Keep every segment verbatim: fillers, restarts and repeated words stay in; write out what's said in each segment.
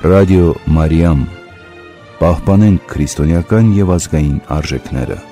Ռադիո Մարիամ, պահպանենք քրիստոնեական և ազգային արժեքները։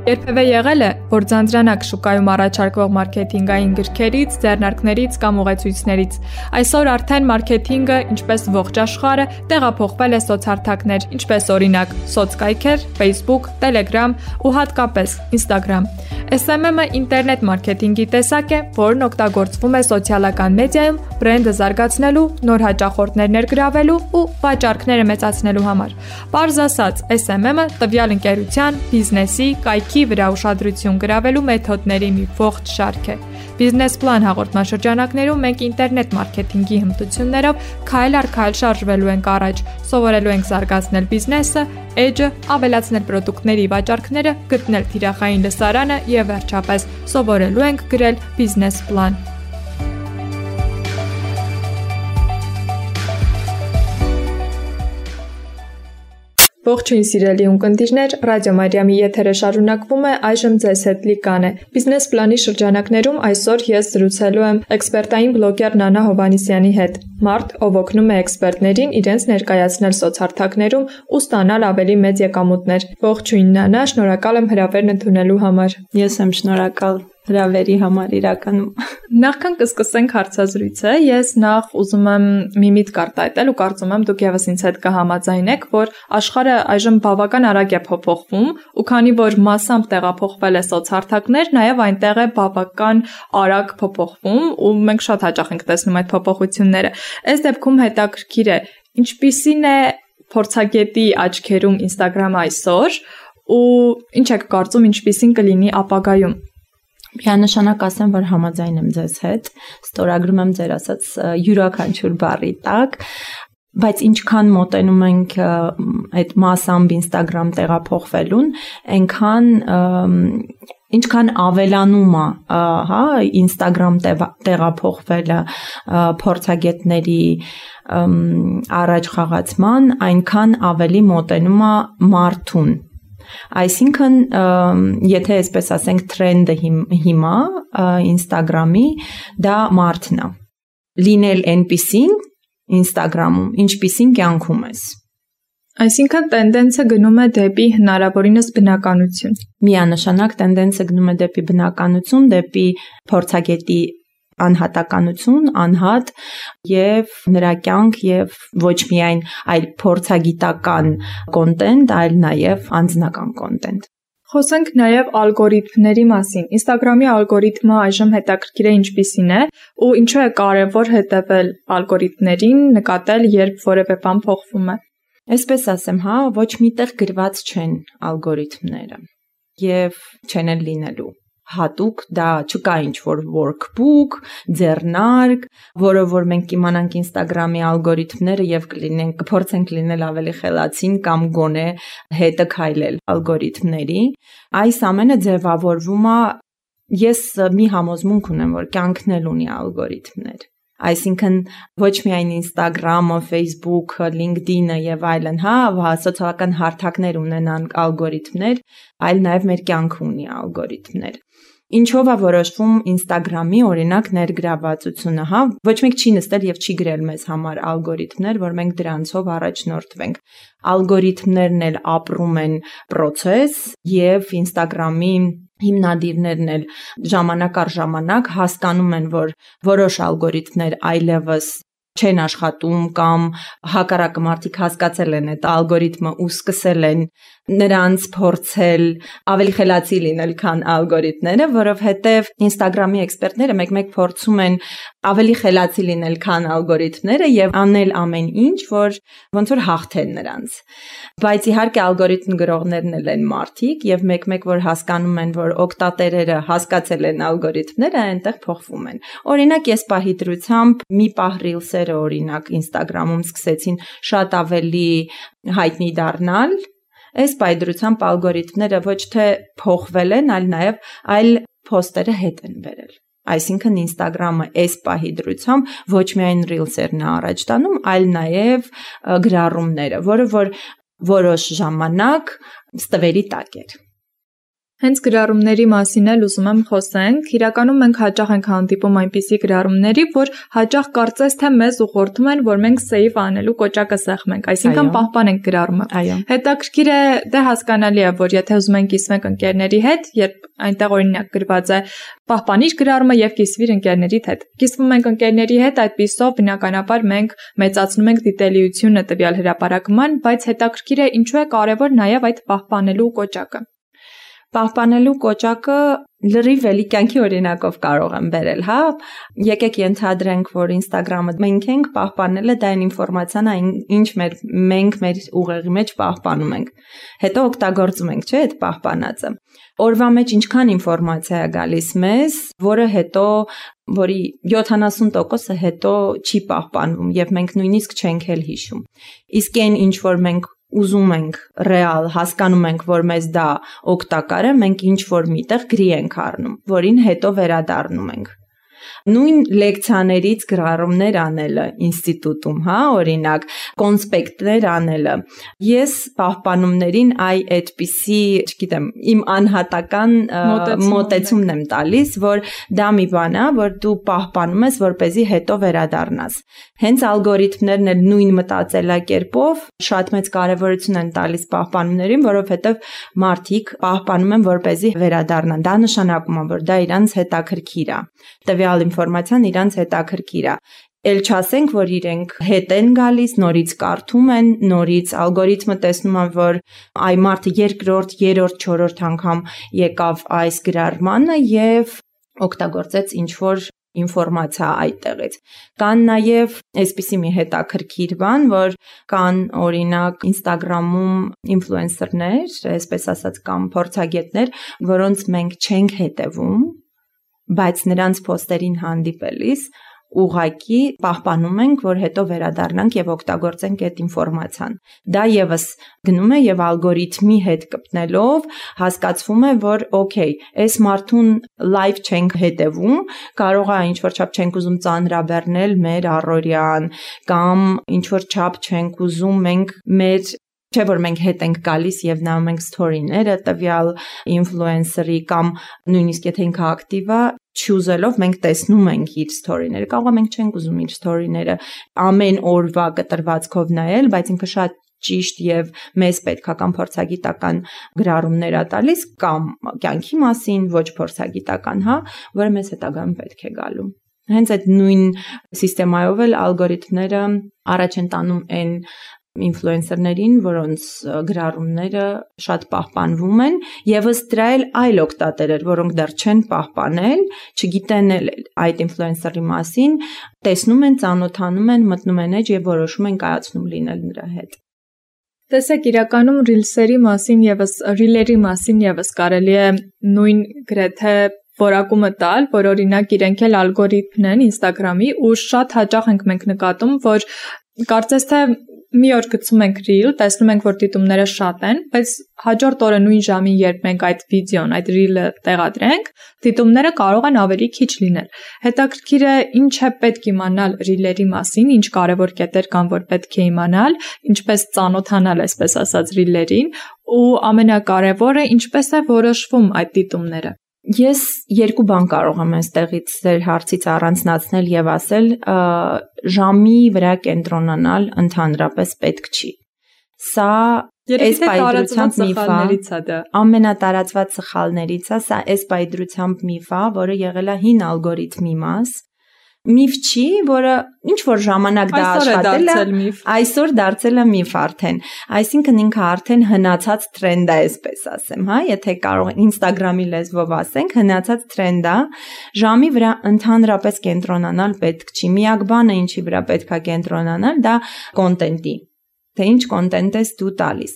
Երբևէ եղել է, որ ձանձրանաք շուկայում առաջարկվող մարքեթինգային գրքերից, ձեռնարկներից կամ ուղեցույցներից։ Այսօր արդեն մարքեթինգը, ինչպես ողջ աշխարհը, տեղափոխվել է սոցհարթակներ, ինչպես օրինակ սոցկայքեր, Facebook, Telegram ու հատկապես Instagram։ Էս էմ էմ-ը ինտերնետ մարքեթինգի տեսակ է, որն օգտագործվում է սոցիալական մեդիայում բրենդը զարգացնելու, նոր հաճախորդներ ներգրավելու ու վաճառքները մեծացնելու համար։ Պարզ ասած, էս էմ էմ-ը տվյալ ընկերության, բիզնեսի, կայքի վրա ուշադրություն գրավելու մեթոդների մի ողջ շարք է։ Բիզնես պլան հաղորդաշրջանակներում մենք ինտերնետ մարքեթինգի հմտություններով քայլ առ քայլ շարժվելու ենք առաջ, սովորելու ենք զարգացնել բիզնեսը, էջը, ավելացնել պրոդուկտների վաճառքները, գտնել թիրախային լսարանը եւ վերջապես սովորելու ենք գրել բիզնես պլան։ Ողջույն սիրելի ունկնդիրներ, Ռադիո Մարիամի եթերը շարունակվում է, այժմ ձեզ հետ Լիկան է։ Բիզնես պլանի շրջանակներում այսօր ես զրուցելու եմ էքսպերտային բլոգեր Նանա Հովհաննիսյանի հետ։ Մարդ, ով օգնում է էքսպերտներին իրենց ներկայացնել սոցհարթակներում ու ստանալ ավելի մեծ եկամուտներ։ Ողջույն Նանա, շնորհակալ եմ հրավերն ընդունելու համար։ Ես եմ շնորհակալ հրավերի համար իրականում։ Նախքան կսկսենք հարցազրույցը, ես նախ ուզում եմ մի միտք արտահայտել ու կարծում եմ դուք եւս ինձ հետ կհամաձայնեք, որ աշխարհը այժմ բավական արագ է փոփոխվում ու քանի որ մասամբ տեղափոխվել է սոցհարթակներ, նաեւ այնտեղ է բավական արագ փոփոխվում ու մենք շատ հաճախ ենք տեսնում այդ փոփոխությունները։ Այս դեպքում հետաքրքիր է, ինչպիսին է փորձագետի աչքերում Instagram-ը այսօր ու ինչ եք կարծում, ինչպիսին կլինի ապագայում։ Միանշանակ ասեմ, որ համաձայն եմ ձեզ հետ, ստորագրում եմ ձեր ասած յուրաքանչյուր բառի տակ, բայց ինչքան մոտենում ենք այդ մասամբ Instagram տեղափոխվելուն, այնքան ինչքան ավելանում է, հա, Instagram տեղափոխվելը փորձագետների առաջ խաղացման, այնքան ավելի մոտենում է մարդուն։ Այսինքն, եթե այսպես ասենք թրենդը հիմա Instagram-ի, դա մարդն է։ Լինել այնպիսին Instagram-ում, ինչպիսին կյանքում ես։ Այսինքն տենդենսը գնում է դեպի հնարավորինս բնականություն։ Միանշանակ տենդենսը գնում է դեպի բնականություն, դեպի փորձագետի անհատականություն, անհատ եւ նրա կյանք եւ ոչ միայն այլ փորձագիտական կոնտենտ, այլ նաեւ անձնական կոնտենտ։ Խոսենք նաեւ ալգորիթմների մասին։ Instagram-ի ալգորիթմը այժմ հետաքրքիր է ինչպիսին է ու ինչու է կարեւոր հետևել ալգորիթմներին, նկատել, երբ որևէ բան փոխվում է։ Այսպես ասեմ, հա, ոչ միտեղ գրված չեն ալգորիթմները եւ չեն էլ լինելու։ Հատուկ դա չկա ինչ-որ workbook, ձեռնարկ, որը որ մենք կիմանանք Instagram-ի ալգորիթմները եւ կլինենք, կփորձենք լինել ավելի խելացին կամ գոնե հետը քայլել ալգորիթմների։ Այս ամենը ձևավորվում է, ես մի համոզմունք ունեմ, որ կյանքն էլ ունի ալգորիթմներ։ Այսինքն ոչ միայն Instagram-ը, Facebook-ը, LinkedIn-ը եւ այլն, հա, սոցիալական հարթակներ ունենան ալգորիթմներ, այլ նաեւ մեր կյանքը ունի ալգորիթմներ։ Ինչով է որոշվում Instagram-ի օրինակ ներգրավվածությունը, հա, ոչ մեկ չի նստել եւ չի գրել մեզ համար ալգորիթմներ, որ մենք դրանցով առաջնորդվենք։ Ալգորիթմներն էլ ապրում են process եւ Instagram-ի հիմնադիրներն էլ ժամանակ առ ժամանակ հասկանում են, որ որոշ ալգորիթմներ այլևս չեն աշխատում կամ հակառակը մարդիկ հասկացել են այդ ալգորիթմը ու սկսել են նրանց փորձել ավելի խելացի լինել, քան ալգորիթմները, որովհետև Instagram-ի էքսպերտները մեկ-մեկ փորձում են ավելի խելացի լինել, քան ալգորիթմները եւ անել ամեն ինչ, որ ոնց որ հաղթեն նրանց։ Բայց իհարկե ալգորիթմ գրողներն էլ են մարդիկ եւ մեկ-մեկ որ հասկանում են, որ օգտատերերը հասկացել են ալգորիթմները, այնտեղ փոխվում են։ Օրինակ ես պահի դրությամբ մի պահ ռիլսերը օրինակ Instagram-ում սկսեցին շատ ավելի հայտնի դառնալ, այս պայդրությամբ ալգորիթմները ոչ թե փոխվել են, այլ նաև այլ փոստերը հետ են բերել։ Այսինքն Instagram-ը այս պահի դրությամբ ոչ միայն ռիլսերն է առաջ տանում, այլ նաև գրառումները, որը որ որոշ ժամանակ ստվերի տակ էր։ Հենց գրառումների մասին էլ ուզում եմ խոսենք։ Իրականում մենք հաճախ ենք հանդիպում այնպիսի գրառումների, որ հաճախ կարծես թե մեզ ուղղորդում են, որ մենք save անելու կոճակը սեղմենք, այսինքն պահպանենք գրառումը։ Հետաքրքիր է, դե հասկանալի է, որ եթե ուզում ենք կիսվենք ընկերների հետ, երբ այնտեղ օրինակ գրված է պահպանիր գրառումը եւ կիսվիր ընկերներիդ հետ։ Կիսվում ենք ընկերների հետ, այդպիսով բնականաբար մենք մեծացնում ենք դիտելիությունը տվյալ հրապարակման, բայց հետաքրքիր է ինչու է կարեւոր նաեւ այդ պահպանելու կոճակը։ Պահպանելու կոճակը լրիվ էլի կյանքի օրինակով կարող եմ բերել, հա։ Եկեք ենթադրենք, որ Instagram-ը մենք ենք պահպանելը, դա այն ինֆորմացիան է, ինչ մեր մենք մեր ուղեղի մեջ պահպանում ենք։ Հետո օգտագործում ենք, չէ՞, այդ պահպանածը։ Օրվա մեջ ինչքան ինֆորմացիա է գալիս մեզ, որը հետո որի յոթանասուն տոկոսը հետո չի պահպանվում եւ մենք նույնիսկ չենք էլ հիշում։ Իսկ այն ինչ որ մենք ուզում ենք ռեալ, հասկանում ենք, որ մեզ դա օգտակար է, մենք ինչ որ միտեղ գրի ենք առնում, որին հետո վերադառնում ենք։ Նույն լեկցիաներից գրառումներ անելը ինստիտուտում, հա, օրինակ, կոնսպեկտներ անելը։ Ես պահպանումներին այ այդպիսի, չգիտեմ, իմ անհատական մոտեցումն եմ տալիս, որ դա մի բան է, որ դու պահպանում ես, որպեսզի հետո վերադառնաս։ Հենց ալգորիթմներն էլ նույն մտածելակերպով շատ մեծ կարևորություն են տալիս պահպանումներին, որովհետև մարդիկ պահպանում են, որպեսզի վերադառնան։ Դա նշանակում է, որ դա իրանց հետաքրքիր է։ Տվյալ ինֆորմացիան իրանց հետաքրքիր է։ Էլ չասենք, որ իրենք հետ են գալիս, նորից կարդում են, նորից ալգորիթմը տեսնում է, որ այ մարդը երկրորդ, երրորդ, չորրորդ անգամ եկավ այս գրառմանը եւ օգտագործեց ինչ-որ ինֆորմացիա այդտեղից։ Կան նաև այսպիսի մի հետաքրքիր բան, որ կան օրինակ Instagram-ում ինֆլուենսերներ, այսպես ասած, կամ փորձագետներ, որոնց մենք չենք հետևում, բայց նրանց post-երին հանդիպելիս ուղղակի պահպանում ենք, որ հետո վերադառնանք եւ օգտագործենք այդ ինֆորմացիան։ Դա եւս գնում է եւ ալգորիթմի հետ կպտնելով հասկացվում է, որ օքեյ, այս մարդուն լայվ չենք հետևում, կարող է ինչ որ չափ չենք ուզում ծանրաբեռնել մեր առօրյան, կամ ինչ որ չափ չենք ուզում մենք մեր Չէ՞ որ մենք հետ ենք գալիս եւ նայում ենք սթորիները տվյալ ինֆլուենսերի կամ նույնիսկ եթե ինքը ակտիվ է, չուզելով մենք տեսնում ենք իր սթորիները։ Կարող է մենք չենք ուզում իր սթորիները ամեն օրվա կտրվածքով նայել, բայց ինքը շատ ճիշտ եւ մեզ պետքական փորձագիտական գրառումներ է տալիս կամ կյանքի մասին, ոչ փորձագիտական, հա, որը մեզ հետագայում պետք է գալու։ Հենց այդ նույն սիստեմայով էլ ալգորիթմները առաջ են տանում այն ինֆլուենսերներին, որոնց գրառումները շատ պահպանվում են, եւ ըստ դրա էլ այլ օգտատերեր, որոնք դեռ չեն պահպանել, չգիտեն էլ այդ ինֆլուենսերի մասին, տեսնում են, ծանոթանում են, մտնում են էջ եւ որոշում են կայացնում լինել նրա հետ։ Տեսեք, իրականում ռիլսերի մասին եւս ռիլերի մասին եւս կարելի է նույն գրեթե որակումը տալ, որ օրինակ իրենք էլ ալգորիթմն են Instagram-ի ու շատ հաճախ ենք մենք նկատում, որ կարծես թե մի օր գցում ենք reel, տեսնում ենք, որ դիտումները շատ են, բայց հաջորդ օրը նույն ժամին, երբ մենք այդ վիդեոն, այդ reel-ը տեղադրենք, դիտումները կարող են ավելի քիչ լինել։ Հետաքրքիր է ինչ է պետք իմանալ reel-երի մասին, ինչ կարևոր կետեր կան, որ պետք է իմանալ, ինչպես ծանոթանալ, այսպես ասած, reel-երին, ու ամենակարևորը ինչպես է որոշվում այդ դիտումները։ Ես երկու բան կարող եմ այստեղից ձեր հարցից առանձնացնել եւ ասել, ժամի վրա կենտրոնանալ ընդհանրապես պետք չի։ Սա այս պայծրությամբ միֆ է, ամենատարածված սխալներից է, սա այս պայծրությամբ միֆ է, որը եղել է հին ալգորիթմի մաս։ Միֆ չի, որը ինչ որ ժամանակ դա աշխատել է, այսօր դարձել է միֆ արդեն։ Այսինքն ինքը արդեն հնացած տրենդ է, այսպես ասեմ, հա, եթե կարող Instagram-ի լեզվով ասենք, հնացած տրենդ է, ժամի վրա ընդհանրապես կենտրոնանալ պետք չի։ Միակ բանը, ինչի վրա պետք է կենտրոնանալ, դա կոնտենտի, թե ինչ կոնտենտ ես դու տալիս։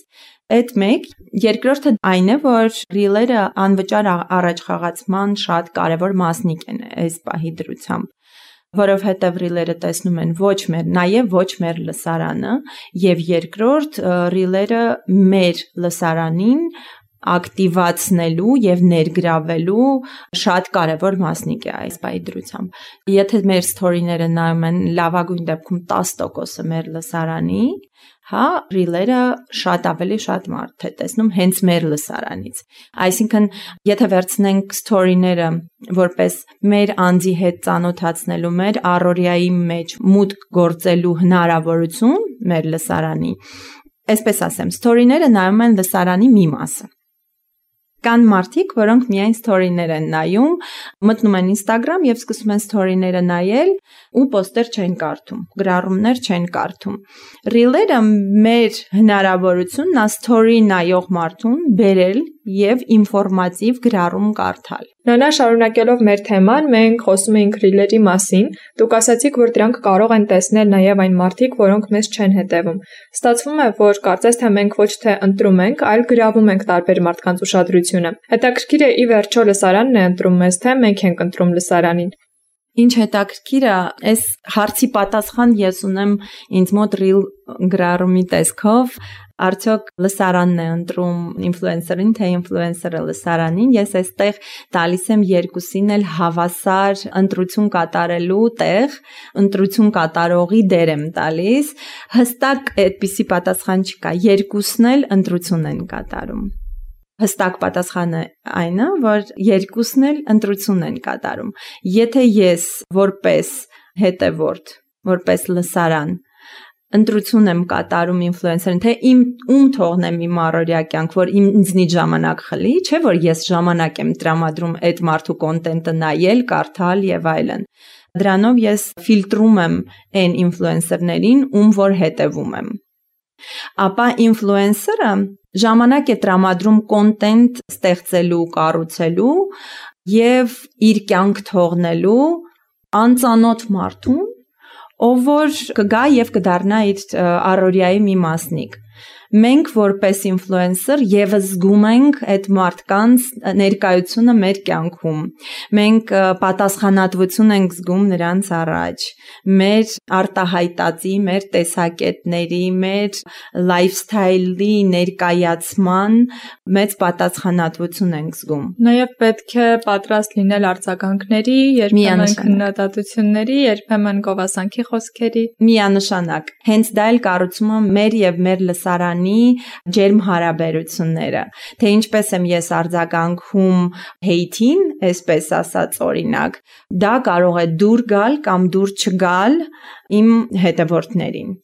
Այդ մեկ, երկրորդը այն է, որ ռիլերը անվճար առաջխաղացման շատ կարևոր մասնիկ են այս պահի դրությամբ, որովհետև ռիլերը տեսնում են ոչ մեր, նաև ոչ մեր լսարանը, եւ երկրորդ ռիլերը մեր լսարանին ակտիվացնելու եւ ներգրավելու շատ կարևոր մասնիկ է այս պայծրությամբ։ Եթե մեր սթորիները նայում են լավագույն դեպքում տասը տոկոսը մեր լսարանի, հա, ռիլերը շատ ավելի շատ մարդ է տեսնում հենց մեր լսարանից։ Այսինքն, եթե վերցնենք story-ները որպես մեր անձի հետ ծանոթացնելու, մեր առօրյայի մեջ մուտք գործելու հնարավորություն մեր լսարանի, այսպես ասեմ, story-ները նայում են լսարանի մի մասը։ Կան մարդիկ, որոնք միայն story-ներ են նայում, մտնում են Instagram եւ սկսում են story-ները նայել ու post-եր չեն կարդում, գրառումներ չեն կարդում։ Reel-երը մեր հնարավորությունն է story նայող մարդուն բերել եւ ինֆորմատիվ գրառում կարդալ։ Նանա, շարունակելով մեր թեման, մենք խոսում էինք ռիլերի մասին։ Դուք ասացիք, որ դրանք կարող են տեսնել նաև այն մարդիկ, որոնք մեզ չեն հետևում։ Ստացվում է, որ կարծես թե մենք ոչ թե ընտրում ենք, այլ գրավում ենք տարբեր մարդկանց ուշադրությունը։ Հետաքրքիր է ի վերջո լսարանն է ընտրում մեզ, թե մենք ենք ընտրում լսարանին։ Ինչ հետաքրքիր է, այս հարցի պատասխան ես ունեմ ինձ մոտ ռիլ գրառումի տեսքով, արդյոք լսարանն է ընտրում ինֆլուենսերին, թե ինֆլուենսերը լսարանին, ես այստեղ տալիս եմ երկուսին էլ հավասար ընտրություն կատարելու տեղ, ընտրություն կատարողի դեր եմ տալիս, հստակ այդպիսի պատասխան չկա, երկուսն էլ ընտրություն են կատարում։ Հստակ պատասխանը այն է, որ երկուսն էլ ընտրություն են կատարում։ Եթե ես որպես հետևորդ, որպես լսարան ընտրություն եմ կատարում ինֆլուենսերին, թե իմ ում թողնեմ իմ առօրյա կյանք, որ ինձնից ժամանակ խլի, չէ՞ որ ես ժամանակ եմ տրամադրում այդ մարդու կոնտենտը նայել, կարդալ եւ այլն։ Դրանով ես ֆիլտրում եմ այն ինֆլուենսերներին, ում որ հետևում եմ։ Ապա ինֆլուենսերը ժամանակ է տրամադրում կոնտենտ ստեղծելու, կառուցելու եւ իր կյանք թողնելու անծանոթ մարդուն, ով որ կգա եւ կդառնա իր առօրյայի մի մասնիկ։ Մենք որպես ինֆլուենսեր եւս զգում ենք այդ մարդկանց ներկայությունը մեր կյանքում։ Մենք պատասխանատվություն ենք զգում նրանց առաջ։ Մեր արտահայտածի, մեր տեսակետների, մեր լայֆսթայլի ներկայացման մեծ պատասխանատվություն ենք զգում։ Նաեւ պետք է պատրաստ լինել արձագանքների, երբեմն քննադատությունների, երբեմն գովասանքի խոսքերի։ Միանշանակ։ Հենց դա էլ կառուցում է մեր եւ մեր լսարանի ջերմ հարաբերությունները, թե ինչպես եմ ես արձագանքում հեյթին, այսպես ասած օրինակ, դա կարող է դուր գալ կամ դուր չգալ իմ հետևորդներին։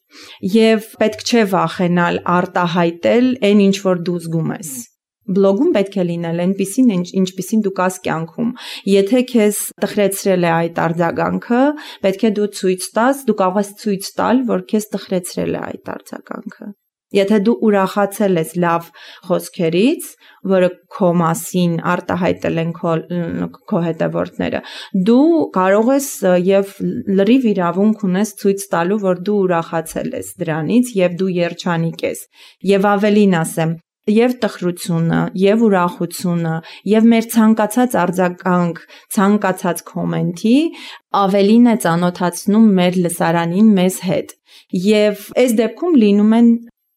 Եվ պետք չէ վախենալ արտահայտել այն ինչ որ դու զգում ես։ Բլոգում պետք է լինել այնպիսին, ինչպիսին դու կաս կյանքում։ Եթե քեզ տխրեցրել է այդ արձագանքը, պետք է դու ցույց տաս, դու կարող ես ցույց տալ, որ քեզ տխրեցրել է այդ արձագանքը։ Եթե դու ուրախացել ես լավ խոսքերից, որը քո մասին արտահայտել են քո, քո հետևորդները, դու կարող ես եւ լրիվ իրավունք ունես ցույց տալու, որ դու ուրախացել ես դրանից եւ դու երջանիկ ես։ Եվ ավելին ասեմ, եւ տխրությունը, եւ ուրախությունը, եւ մեր ցանկացած արձագանք, ցանկացած կոմենտի ավելին է ծանոթացնում մեր լսարանին մեզ հետ։ Եվ այս դեպքում լինում են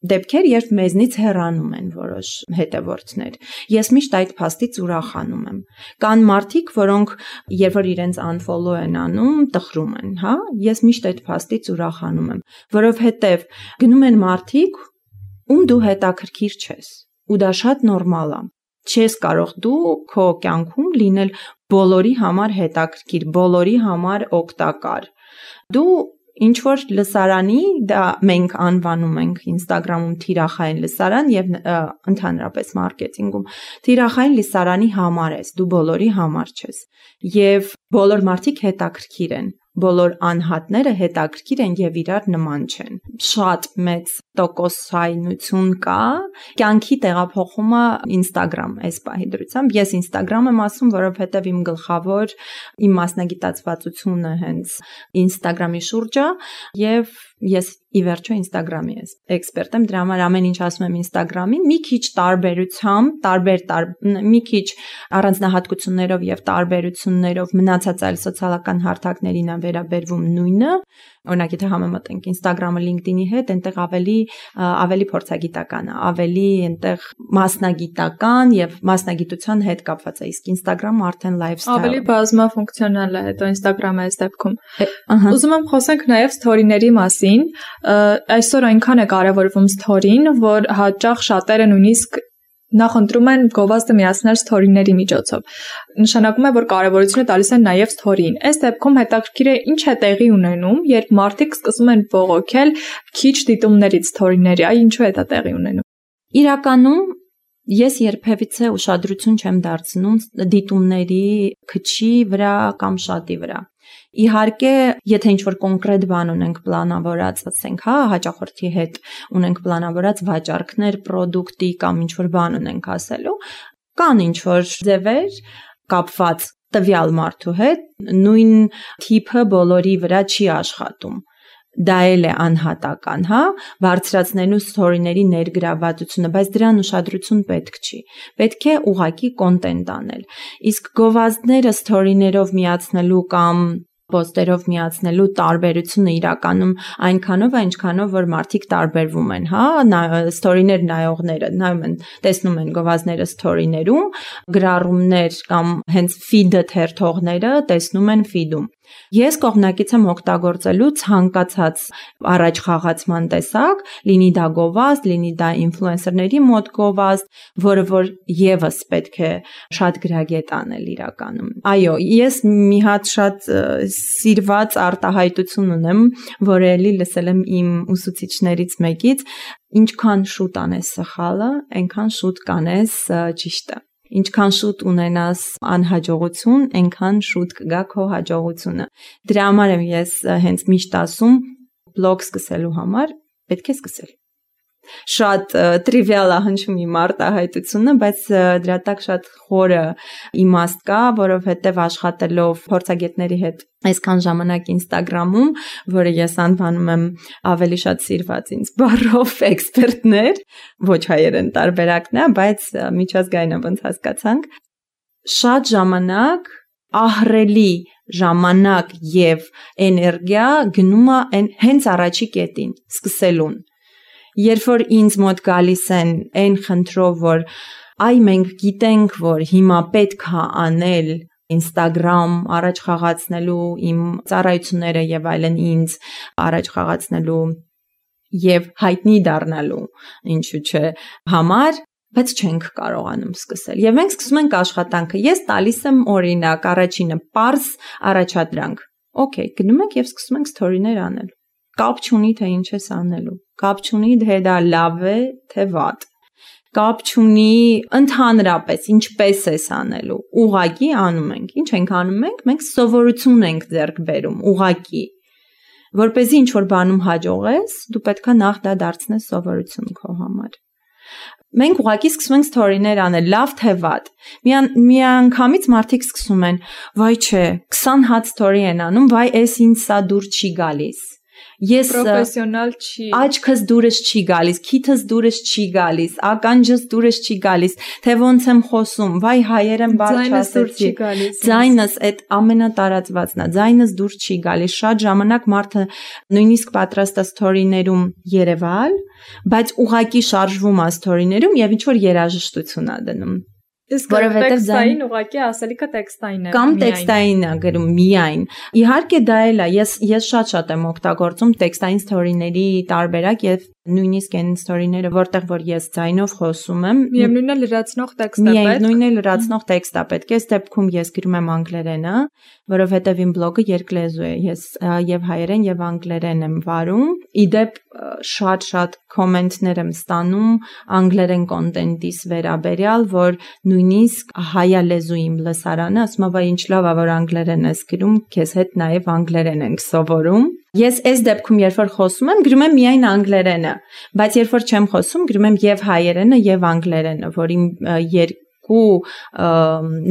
դեպքեր, երբ մեզնից հեռանում են որոշ հետևորդներ։ Ես միշտ այդ փաստից ուրախանում եմ։ Կան մարդիկ, որոնք երբ որ իրենց unfollow են անում, տխրում են, հա? Ես միշտ այդ փաստից ուրախանում եմ, որովհետև գնում են մարդիկ, ում դու հետաքրքիր չես, ու դա շատ նորմալ է։ Չես կարող դու քո կյանքում լինել բոլորի համար հետաքրքիր, բոլորի համար օգտակար։ Դու ինչ որ լսարանի, դա մենք անվանում ենք Instagram-ում թիրախային լսարան եւ ընդհանրապես մարքեթինգում, թիրախային լսարանի համար ես, դու բոլորի համար չես։ Եվ բոլոր մարդիկ հետաքրքիր են, բոլոր անհատները հետաքրքիր են եւ իրար նման չեն։ Շատ մեծ տոկոսայնություն կա կյանքի տեղափոխումը Instagram այս պահի դրությամբ։ Ես Instagram եմ ասում, որովհետեւ իմ գլխավոր իմ մասնագիտացվածությունը հենց Instagram-ի շուրջ է եւ ես ի վերջո Instagram-ի էքսպերտ եմ, դրա համար ամեն ինչ ասում եմ Instagram-ին, մի քիչ տարբերությամբ, տարբեր մի քիչ առանձնահատկություններով եւ տարբերություններով մնացած այլ սոցիալական հարթակներին է վերաբերվում նույնը։ Օրինակ, եթե համեմատենք Instagram-ը LinkedIn-ի հետ, այնտեղ ավելի ավելի փորձագիտական է, ավելի այնտեղ մասնագիտական եւ մասնագիտության հետ կապված է, իսկ Instagram-ը արդեն lifestyle։ Ավելի բազմաֆունկցիոնալ է հետո Instagram-ը այս դեպքում։ Ուզում եմ խոսենք նաեւ story-ների մասին, story-ին, այսօր այնքան է կարևորվում story-ին, որ հաճախ շատերը նույնիսկ նախընտրում են գովազդը միացնել story-ների միջոցով։ Նշանակում է, որ կարևորությունը տալիս են նաև story-ին։ Այս դեպքում հետաքրքիր է ինչ է տեղի ունենում, երբ մարդիկ սկսում են բողոքել քիչ դիտումներից story-ների, այ ինչու է դա տեղի ունենում։ Իրականում ես երբևիցե ուշադրություն չեմ դարձնում դիտումների քչի վրա կամ շատի վրա։ Իհարկե, եթե ինչ-որ կոնկրետ բան ունենք պլանավորած, ասենք, հա, հաճախորդի հետ ունենք պլանավորած վաճառքներ, պրոդուկտի կամ ինչ-որ բան ունենք ասելու, կան ինչ-որ ձևեր կապված տվյալ մարդու հետ, նույն թիփը բոլորի վրա չի աշխատում։ Դա էլ է անհատական, հա, բարձրացնելու story-ների ներգրավվածությունը, բայց դրան ուշադրություն պետք չի։ Պետք է ուղղակի կոնտենտ անել։ Իսկ գովազդները story-ներով միացնելու կամ post-երով միացնելու տարբերությունը իրականում այնքանով է, ինչքանով որ մարդիկ տարբերվում են, հա, story-ներ նայողները նայում են, տեսնում են գովազդները story-ներում, գրառումներ կամ հենց feed-ը թերթողները տեսնում են feed-ում։ Ես կողմնակից եմ օգտագործելու ցանկացած առաջ խաղացման տեսակ, լինի դա գովազդ, լինի դա ինֆլուենսերների մոտ գովազդ, որը որ եւս պետք է շատ գրագետ անել իրականում։ Այո, ես մի հատ շատ սիրված արտահայտություն ունեմ, որը էլի լսել եմ իմ ուսուցիչներից մեկից, ինչքան շուտ անես սխալը, այնքան շուտ կանես ճիշտը։ Ինչքան շուտ ունենաս անհաջողություն, այնքան շուտ կգա քո հաջողությունը։ Դրա համար եմ ես հենց միշտ ասում, բլոգ սկսելու համար պետք է սկսել։ Շատ տրիվիալ է հնչում իմ արտահայտությունը, բայց դրա տակ շատ խորը իմաստ կա, որովհետև աշխատելով փորձագետների հետ այսքան ժամանակ Instagram-ում, որը ես անվանում եմ ավելի շատ սիրված ինձ բառով էքսպերտներ, ոչ հայերեն տարբերակն է, բայց միջազգային ոնց հասկացանք, շատ ժամանակ ահռելի ժամանակ եւ էներգիա գնում է հենց առաջի կետին, սկսելուն։ Երբ որ ինձ մոտ գալիս են այն խնդրով, որ այ մենք գիտենք, որ հիմա պետք է անել Instagram առաջ խաղացնելու իմ ծառայությունները եւ այլն ինձ առաջ խաղացնելու եւ հայտնի դառնալու, ինչու՞ չէ, համար, բայց չենք կարողանում սկսել։ Եվ մենք սկսում ենք աշխատանքը։ Ես տալիս եմ օրինակ, առաջինը պարզ առաջադրանք։ Okay, գնում ենք եւ սկսում ենք story-ներ անել։ Կապ չունի թե ինչ ես անելու, կապ չունի թե դա լավ է, թե վատ, կապ չունի ընդհանրապես ինչպես ես անելու, ուղղակի անում ենք, ինչ ենք անում մենք, մենք սովորություն ենք ձեռք բերում, ուղղակի, որպեսզի ինչ-որ բանում հաջողես, դու պետք է նախ դա դարձնես սովորություն քո համար։ Մենք ուղղակի սկսում ենք story-ներ անել, լավ թե վատ։ Մի անգամից մարդիկ սկսում են, վայ չէ, քսան հատ story են անում, վայ էս ինձ սա դուր չի գալիս։ Ես պրոֆեսիոնալ չի, աչքս դուրս չի գալիս, քիթս դուրս չի գալիս, ականջս դուրս չի գալիս, թե ոնց եմ խոսում, վայ հայերեն բառ չասեցի, ձայնս այդ ամենատարածվածն է, ձայնս դուրս չի գալիս, շատ ժամանակ մարդը նույնիսկ պատրաստ է story-ներում երևալ, բայց ուղակի շարժվում է story-ներում եւ ինչ որ երաժշտություն է դնում։ Իսկ տեքստային ուղղակի ասելիքը տեքստային է։ Կամ տեքստային է գրում միայն։ Իհարկե դա էլ է, ես ես շատ-շատ եմ օգտագործում տեքստային story-ների տարբերակ եւ նույնիսկ այն story-ները, որտեղ որ ես ձայնով խոսում եմ, միևնույնն է լրացնող տեքստ է պետք։ Միևնույնն է լրացնող տեքստ է պետք։ Այս դեպքում ես գրում եմ անգլերենը, որովհետեւ իմ բլոգը երկլեզու է։ Ես եւ հայերեն եւ անգլերեն եմ վարում։ Իդեպ շատ-շատ կոմենտներ եմ ստանում անգլերեն կոնտենտից վերաբերյալ, որ նույնիսկ հայալեզու իմ լսարանը ասում է, վայ ինչ լավ է, որ անգլերեն ես գրում, քեզ հետ նաեւ անգլերեն ենք սովորում։ Ես այս դեպքում երբ որ խոսում եմ, գրում եմ միայն անգլերենը, բայց երբ որ չեմ խոսում, գրում եմ եւ հայերենը եւ անգլերենը, որ իմ երկու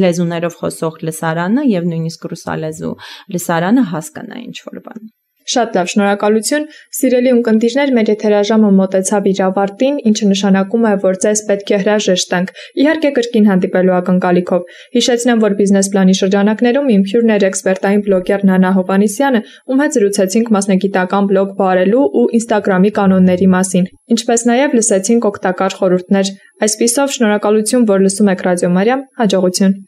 լեզուներով խոսող լսարանը եւ նույնիսկ ռուսալեզու լսարանը հասկանա ինչ որ բան։ Շատ լավ, շնորհակալություն։ Սիրելի ունկնդիրներ, մեր եթերաժամը մոտեցավ իր ավարտին, ինչը նշանակում է, որ ձեզ պետք է հրաժեշտենք։ Իհարկե կրկին հանդիպելու ակնկալիքով։ Հիշեցնեմ, որ բիզնես պլանի շրջանակներում իմ հյուրն էր էքսպերտային բլոգեր Նանա Հովհաննիսյանը, ում հետ զրուցեցինք մասնագիտական բլոգ վարելու ու Instagram-ի կանոնների մասին, ինչպես նաև լսեցինք օգտակար խորհուրդներ։ Այսպիսով, շնորհակալություն, որ լսում եք Ռադիո Մարիամ, հաջողություն։